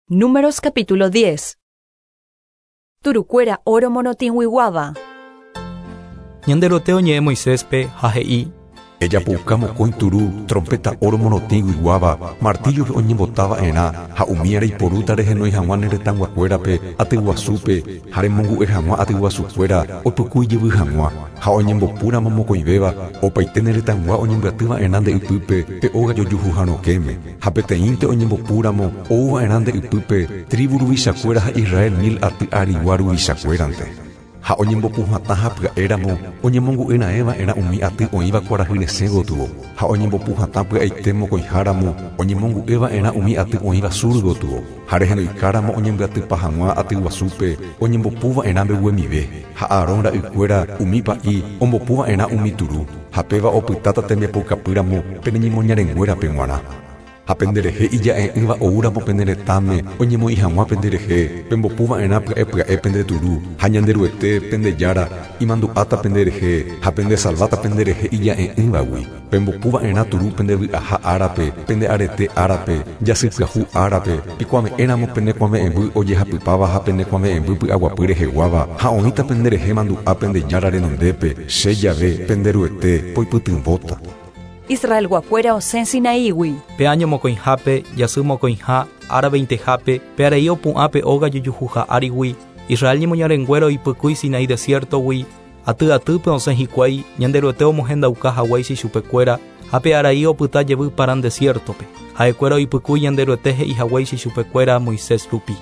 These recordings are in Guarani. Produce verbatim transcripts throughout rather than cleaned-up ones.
Números capítulo diez. Turukuéra óro morotĩguiguáva. Ñanderuete oñe'ẽ Moiséspe ha he'i: Ejapouka mokõi turu, trompeta óro morotĩguiguáva, martillo-pe oñembotava'erã ha umi reiporúta rehenói hag̃ua ne retãguakuérape atyguasúpe ha remongu'e hag̃ua atyguasukuéra oipykúi jevy hag̃ua ha oñembopúramo mokõivéva opaite ne retãgua oñembyatyva'erã nde ypýpe pe óga jojuhuha rokẽme ha peteĩnte oñembopúramo ouva'erã nde ypýpe tribu ruvichakuéra ha Israel mil aty arigua ruvichakuérante. Ha oñembopuhatã ha pya'éramo oñemongu'eraẽva'erã umi aty oĩva kuarahy resẽ gotyo ha oñembopuhatã pya'aite mokõiháramo oñemongu'eva'erã umi aty oĩva sur gotyo ha rehenoikáramo oñembyatypa hag̃ua atyguasúpe oñembopuva'erã mbeguemive ha Aarón ra'ykuéra umi pa'i ombopuva'erã umi turu ha péva opytáta tembiapoukapýramo pene ñemoñarenguérape g̃uarã. Ha penderehe ija'e'ỹva oúramo pene retãme oñemoĩ hag̃ua penderehe pembopuva'erã pya'e pya'e pende turu ha Ñanderuete pendejára imandu'áta penderehe ha pendesalváta penderehe ija'e'ỹvagui. Pembopuva'erã turu pendevy'aha árape, pende arete árape, jasypyahu árape, pikuave'ẽramo penekuave'ẽmby ojehapypáva ha penekuave'ẽmby py'aguapy reheguáva ha oĩta penderehe mandu'a pendejára renondépe che jave Penderuete poipytyvõta. Israelguakuéra osẽ Sinaígui. Pe año mokõihápe, jasy mokõiha, ára veintehápe, pe arai opu'ã pe óga jojuhuha árigui, Israel ñemoñarenguéra oipykúi Sinaí desiertogui, aty atýpe osẽ hikuái, Ñanderuete omohendauka haguéicha ichupekuéra, ha pe arai opyta jevy Parán desiertope. Ha'ekuéra oipykúi Ñanderuete he'i haguéicha ichupekuéra Moisés rupi.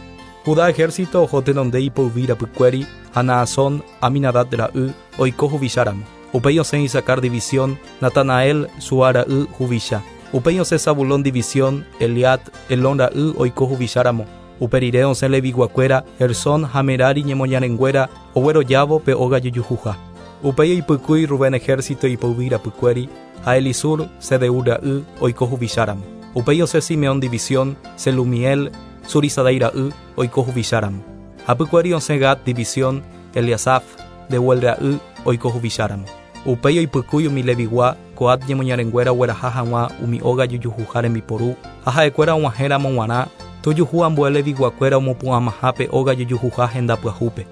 Judá ejército oho tenonde ipoyvi rapykuéri, ha Naasón, Aminadad ra'y, oiko huvicháramo. Upéi osẽ Isacar división, Natanael, Suar ra'y huvicha. Upéi osẽ Zabulón división, Eliat, Elón ra'y oiko huvicháramo. Upe rire osẽ Leviguakuéra, Gersón ha Merari ñemoñarenguéra oguerojávo pe óga jojuhuha. Upéi oipykúi Rubén ejército ipoyvi rapykuéri, ha Elisur, Sedeur ra'y oiko huvicháramo. Upéi osẽ Simeón división, Selumiel, Surisadai ra'y oiko huvicháramo. Hapykuéri osẽ Gad división, Eliasaf, Deuel ra'y oiko huvicháramo. Upéi oipykúi umi Levigua, Coat ñemoñarenguéra ogueraha hag̃ua umi óga jojuhuha rembiporu, ha ha'ekuéra og̃uahẽramo g̃uarã, tojuhu ambue Leviguakuéra omopu'ãmaha pe óga jojuhuha henda pyahúpe.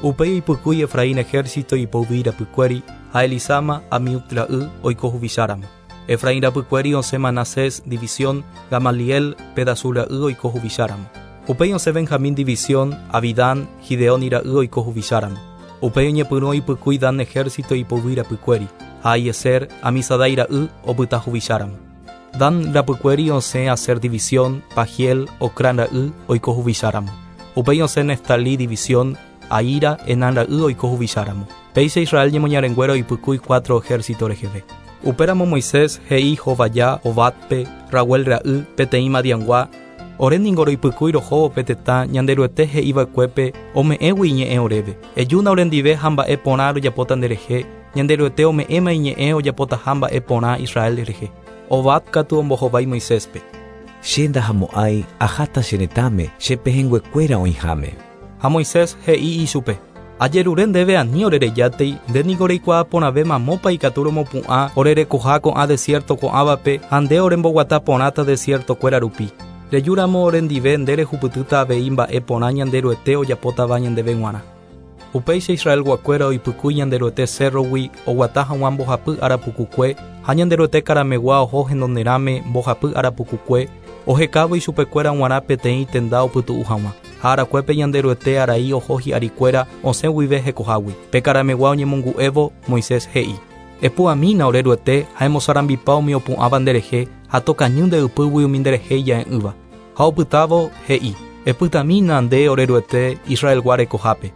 Upéi oipykúi Efraín ejército ipoyvi rapykuéri, ha Elisama, Amiud ra'y oiko huvicháramo. Efraín rapykuéri osẽ Manasés división, Gamaliel, Pedasur ra'y oiko huvicháramo. Upéi osẽ Benjamín división, Abidán, Gideón ra'y oiko huvicháramo. Upéi oñepyrũ oipykúi Dan ejército ipoyvi rapykuéri, ha Ahiezer, Amisadai ra'y opyta huvicháramo. Dan rapykuéri osẽ Aser división, Pagiel, Ocrán ra'y oiko huvicháramo. Upéi osẽ Neftalí división, Ahira, Enán ra'y oiko huvicháramo. Péicha Israel ñemoñarenguéra oipykúi cuatro ejército reheve. Upéramo Moisés he'i Hovaya, Obadpe, Rauel ra'y, peteĩ Madiangua, ore ningo roipykúi rohóvo pe tetã Ñanderuete he'iva'ekuépe ome'ẽgui iñe'ẽ oréve. Ejúna orendive ha mba'e porã rojapóta nderehe, Ñanderuete ome'ẽma iñe'ẽ ojapotaha mba'e porã Israel rehe. Obad katu ombohovái Moiséspe. Che ndahamo'ãi aháta che retãme che pehẽnguekuéra oĩháme. Ha Moisés he'i ichupe: Ajerure ndéve ani orerejátei, nde niko reikuaa porãve mamópa ikatu romopu'ã orerekoha ko'ã desierto ko'ãvape ha nde oremboguata porãta desiertokuéra rupi. Rejúramo orendive nde rehupytýta avei mba'e porã Ñanderuete ojapótava ñandéve g̃uarã. Upéicha Israelguakuéra oipykúi Ñanderuete cerrogui oguata hag̃ua mbohapy ára pukukue ha Ñanderuete karamegua oho henonderãme mbohapy ára pukukue ohekávo ichupekuéra g̃uarã peteĩ tenda opytu'u hag̃ua. Ha arakuépe Ñanderuete arai oho hi'arikuéra osẽ guive hekohágui. Pe karamegua oñemongu'évo Moisés he'i: Epu'ãmína ore Ruete ha emosarambipa umi opu'ãva nderehe ha tokañy nde ypýgui umi nderehe ija'e'ỹva. Ha opytávo he'i: Epytamína nde ore Ruete Israelgua rekohápe.